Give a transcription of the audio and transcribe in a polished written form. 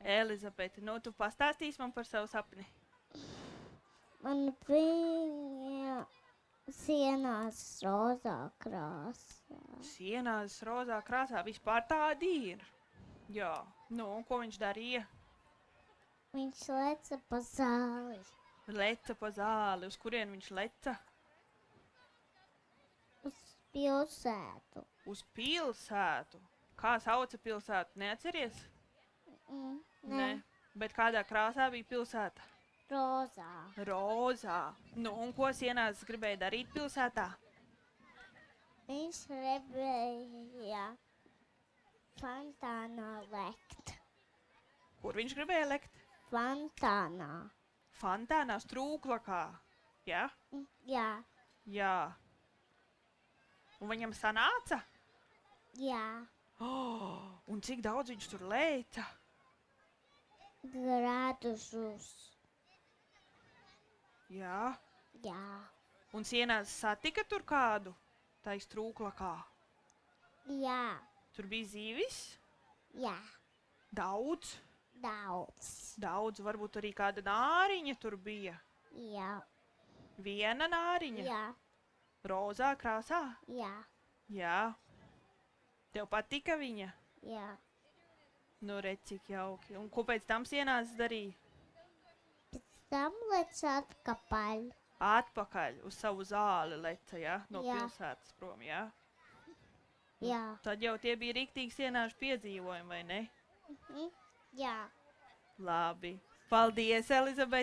Elizabete, nu tu pastāstīsi man par savu sapni. Man bija sienās rozā krāsā. Sienās rozā krāsā vispār tādi ir. Jā, nu, un ko viņš darīja? Viņš leca pa zāli. Leca pa zāli. Uz kurien viņš leca? Uz pilsētu. Uz pilsētu. Kā sauca pilsētu? Neatceries? Nē. Bet kādā krāsā bija pilsēta? Rozā. Rozā. Nu, un ko sienās gribēja darīt pilsētā? Viņš gribēja fontānā lekt. Kur viņš gribēja lekt? Fontānā. Fontānā, strūklakā. Ja? Jā. Jā. Un viņam sanāca? Jā. Oh, un cik daudz viņš tur leca? Grādus. Jā. Jā. Un sienās satika tur kādu? Tā strūklakā. Jā. Tur bija zīvis? Jā. Daudz? Daudz. Varbūt arī kāda nāriņa tur bija. Jā. Viena nāriņa? Jā. Rozā krāsā? Jā. Jā. Tev patika viņa? Jā. Nu, redz, cik jauki. Un ko pēc tam sienās darīja? Pēc tam lec atpakaļ. Atpakaļ uz savu zāli leca, ja? No Jā. pilsētas prom, ja? Jā. Tad jau tie bija riktīgi sienāšu piedzīvojumi, vai ne? Jā. Labi. Paldies, Elizabete!